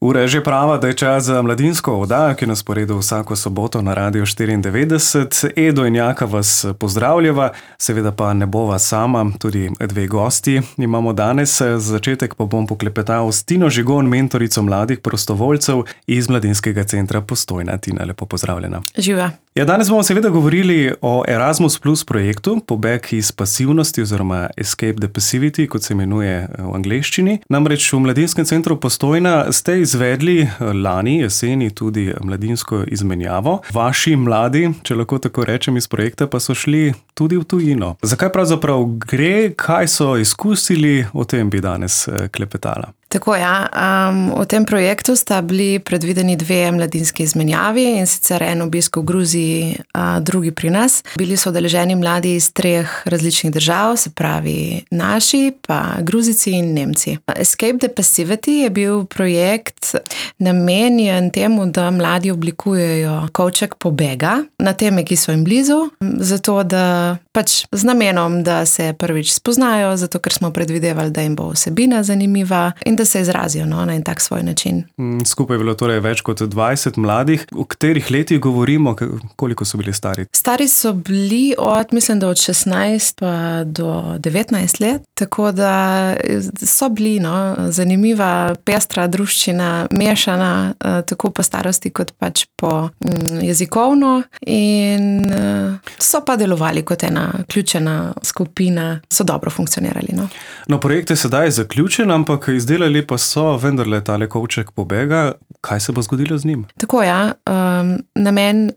Ura je že prava, da je čas za mladinsko oddajo, ki nas poredi vsako soboto na Radiu 94. Edo in Jaka vas pozdravljava, seveda pa ne bova sama, tudi dve gosti imamo danes. Za začetek pa bom poklepetal s Tino Žigon, mentorico mladih prostovoljcev iz Mladinskega centra Postojna. Tina, lepo pozdravljena. Živa. Ja, danes bomo seveda govorili o Erasmus Plus projektu, pobeg iz pasivnosti oziroma Escape the Passivity, kot se imenuje v angleščini. Namreč v Mladinskem centru Postojna ste izvedli lani jeseni tudi mladinsko izmenjavo. Vaši mladi, če lahko tako rečem, iz projekta pa so šli tudi v tujino. Zakaj pravzaprav gre, kaj so izkusili, o tem bi danes klepetala. Tako v tem projektu sta bili predvideni dve mladinski izmenjavi, in sicer en obisk v Gruziji, drugi pri nas. Bili so udeleženi mladi iz 3 različnih držav, se pravi naši, pa Gruzici in Nemci. Escape the Passivity je bil projekt namenjen temu, da mladi oblikujejo kovček pobega na teme, ki so jim blizu, zato da z namenom, da se prvič spoznajo, zato ker smo predvidevali, da jim bo vsebina zanimiva in da se izrazijo na en tak svoj način. Skupaj je bilo torej več kot 20 mladih. V katerih letih govorimo, koliko so bili stari? Stari so bili mislim, da od 16 pa do 19 let, tako da so bili zanimiva, pestra druščina, mešana, tako po starosti kot po jezikovno, in so pa delovali kot ena ključena skupina, so dobro funkcionirali. Projekt je sedaj zaključen, ampak izdelali pa so vendarle tale kovček pobega. Kaj se bo zgodilo z njim? Tako namen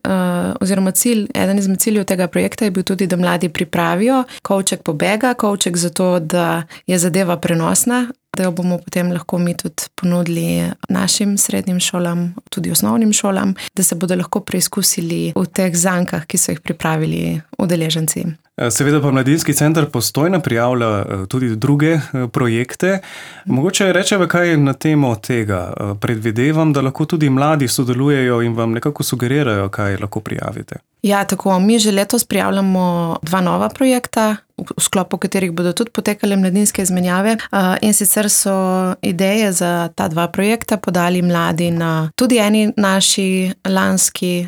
oziroma cilj, eden izmed ciljev tega projekta je bil tudi, da mladi pripravijo kovček pobega, kovček zato, da je zadeva prenosna, da jo bomo potem lahko mi tudi ponudili našim srednjim šolam, tudi osnovnim šolam, da se bodo lahko preizkusili v teh zankah, ki so jih pripravili udeleženci. Seveda pa Mladinski center Postojna prijavlja tudi druge projekte. Mogoče rečeva kaj na temo tega. Predvidevam, da lahko tudi mladi sodelujejo in vam nekako sugerirajo, kaj lahko prijavite. Ja, tako. Mi že letos prijavljamo 2 nova projekta, v sklopu katerih bodo tudi potekale mladinske izmenjave, in sicer so ideje za ta 2 projekta podali mladi na tudi eni naši lanski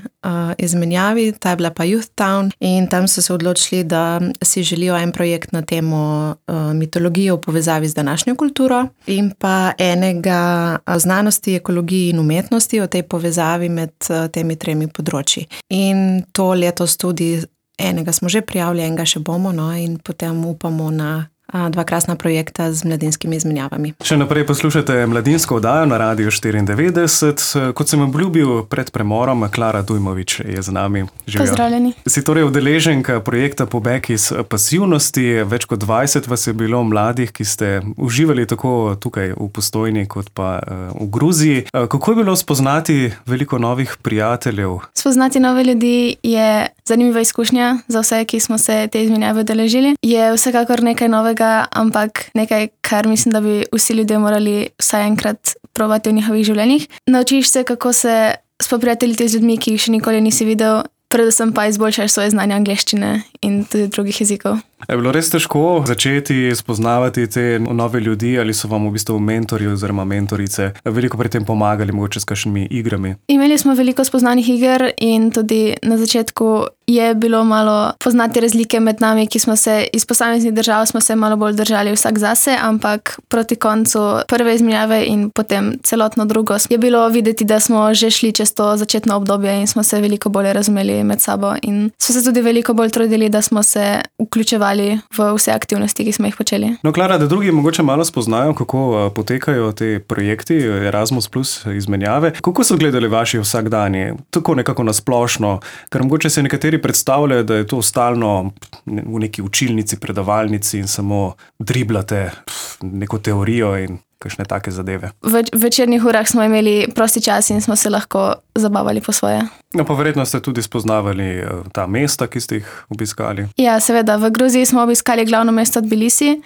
izmenjavi, ta je bila pa Youth Town, in tam so se odločili, da si želijo en projekt na temo mitologije v povezavi z današnjo kulturo in pa enega znanosti, ekologiji in umetnosti, o tej povezavi med temi 3 področji. In to letos tudi enega smo že prijavili, enega še bomo, in potem upamo na 2 krasna projekta z mladinskimi izmenjavami. Še naprej poslušate mladinsko oddajo na Radiu 94. Kot sem obljubil pred premorom, Klara Dujmović je z nami. Živijo. Pozdravljeni. Si torej udeleženka projekta Pobeg iz pasivnosti. Več kot 20 vas je bilo mladih, ki ste uživali tako tukaj v Postojni kot pa v Gruziji. Kako je bilo spoznati veliko novih prijateljev? Spoznati nove ljudi je zanimiva izkušnja za vse, ki smo se te izmenjave udeležili. Je vsekakor nekaj novega, ampak nekaj, kar mislim, da bi vsi ljudje morali vsaj enkrat probati v njihovih življenjih. Naučiš se, kako se spoprijateljiti z ljudmi, ki jih še nikoli nisi videl, predvsem pa izboljšaš svoje znanje angleščine in tudi drugih jezikov. Je bilo res težko začeti spoznavati te nove ljudi, ali so vam v bistvu mentorji oziroma mentorice veliko pri tem pomagali, mogoče s kakšnimi igrami? Imeli smo veliko spoznanih iger in tudi na začetku je bilo malo poznati razlike med nami, ki smo se iz posameznih držav smo se malo bolj držali vsak zase, ampak proti koncu prve izmenjave in potem celotno drugo je bilo videti, da smo že šli čez to začetno obdobje in smo se veliko bolje razumeli med sabo in smo se tudi veliko bolj trudili, da smo se vključevali v vse aktivnosti, ki smo jih počeli. Klara, da drugi mogoče malo spoznajo, kako potekajo te projekti Erasmus Plus izmenjave. Kako so gledali vaši vsakdani? Tako nekako nasplošno, ker mogoče se nekateri predstavljajo, da je to stalno v neki učilnici, predavalnici in samo driblate neko teorijo in kakšne take zadeve. V večernih urah smo imeli prosti čas in smo se lahko zabavali po svoje. Pa verjetno ste tudi spoznavali ta mesta, ki ste jih obiskali. Ja, seveda. V Gruziji smo obiskali glavno mesto Tbilisi.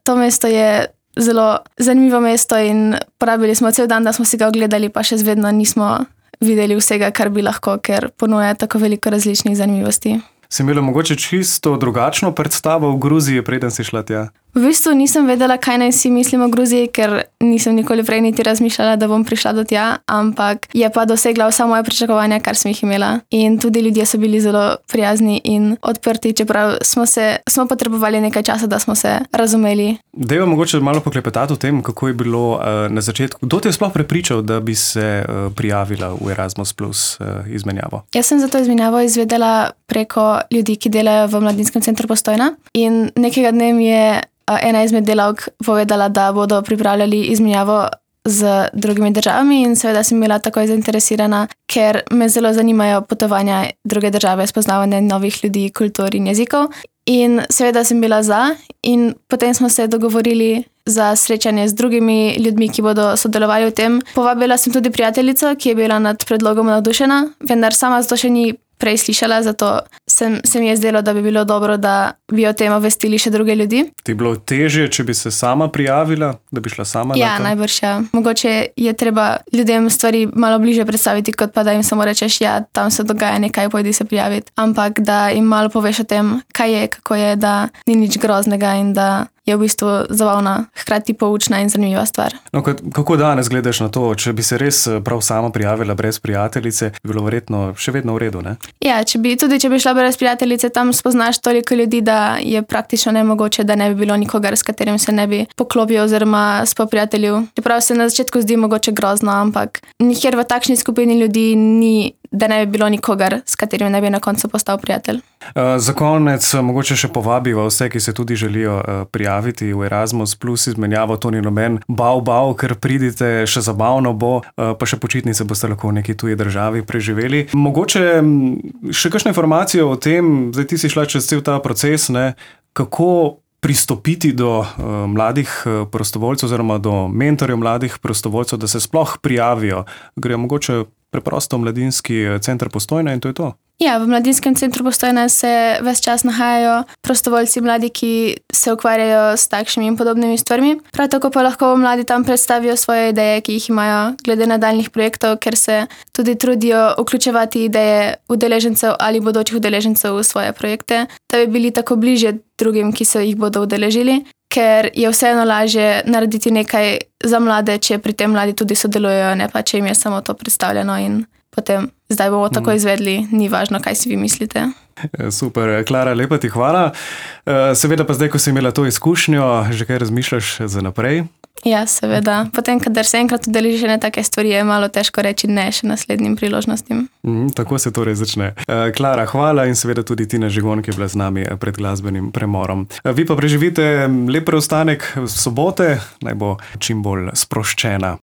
To mesto je zelo zanimivo mesto in porabili smo cel dan, da smo si ga ogledali, pa še zvedno nismo videli vsega, kar bi lahko, ker ponuja tako veliko različnih zanimivosti. Si imela mogoče čisto drugačno predstavo v Gruziji, preden si šla tja? V bistvu nisem vedela, kaj naj si mislim o Gruziji, ker nisem nikoli prej niti razmišljala, da bom prišla do tja, ampak je pa dosegla vsa moja pričakovanja, kar sem jih imela. In tudi ljudje so bili zelo prijazni in odprti, čeprav smo potrebovali nekaj časa, da smo se razumeli. Dejva mogoče malo poklepetati o tem, kako je bilo na začetku. Kdo te je sploh prepričal, da bi se prijavila v Erasmus Plus izmenjavo? Jaz sem za to izmenjavo izvedela preko ljudi, ki delajo v Mladinskem centru Postojna, in nekega dne mi je ena izmed delavk povedala, da bodo pripravljali izmenjavo z drugimi državami, in seveda sem bila takoj zainteresirana, ker me zelo zanimajo potovanja druge države, spoznavanje novih ljudi, kultur in jezikov. In seveda sem bila za, in potem smo se dogovorili za srečanje z drugimi ljudmi, ki bodo sodelovali v tem. Povabila sem tudi prijateljico, ki je bila nad predlogom navdušena, vendar sama zato še ni prej slišala, zato se mi je zdelo, da bi bilo dobro, da bi o tem obvestili še druge ljudi. Ti je bilo težje, če bi se sama prijavila, da bi šla sama na to? Ja, najbrž ja. Mogoče je treba ljudem stvari malo bliže predstaviti, kot pa da jim samo rečeš, ja, tam se dogaja nekaj, pojdi se prijaviti. Ampak da jim malo poveš o tem, kaj je, kako je, da ni nič groznega in da je v bistvu zabavna, hkrati poučna in zanimiva stvar. No, kako danes gledaš na to? Če bi se res prav sama prijavila brez prijateljice, bi bilo verjetno še vedno v redu, ne? Ja, če bi šla brez prijateljice, tam spoznaš toliko ljudi, da je praktično nemogoče, da ne bi bilo nikogar, s katerim se ne bi poklopil oziroma spoprijateljil. Čeprav se na začetku zdi mogoče grozno, ampak nikjer v takšni skupini ljudi ni, da ne bi bilo nikogar, s katerim ne bi na koncu postal prijatelj. Za konec mogoče še povabiva vse, ki se tudi želijo prijaviti v Erasmus Plus izmenjavo. To ni noben bav, ker pridite, še zabavno bo, pa še počitnice boste lahko v neki tuji državi preživeli. Mogoče še kakšne informacije o tem, zdaj ti si šla čez cel ta proces, ne, kako pristopiti do mladih prostovoljcev oziroma do mentorjev mladih prostovoljcev, da se sploh prijavijo. Grejo mogoče preprosto v Mladinski center Postojna in to je to? Ja, v Mladinskem centru Postojna se ves čas nahajajo prostovoljci mladi, ki se ukvarjajo s takšnimi in podobnimi stvarmi. Prav tako pa lahko mladi tam predstavijo svoje ideje, ki jih imajo glede nadaljnjih projektov, ker se tudi trudijo vključevati ideje udeležencev ali bodočih udeležencev v svoje projekte, da bi bili tako bližje drugim, ki se jih bodo udeležili, ker je vseeno lažje narediti nekaj za mlade, če pri tem mladi tudi sodelujejo, ne pa če jim je samo to predstavljeno in potem zdaj bomo tako izvedli, ni važno, kaj si vi mislite. Super, Klara, lepa ti hvala. Seveda pa zdaj, ko si imela to izkušnjo, že kaj razmišljaš za naprej? Ja, seveda. Potem, kadar se enkrat udeležiš na take stvari, je malo težko reči ne še naslednjim priložnostim. Tako se torej začne. Klara, hvala in seveda tudi Tina Žigon, ki je bila z nami pred glasbenim premorom. Vi pa preživite lep preostanek sobote, naj bo čim bolj sproščena.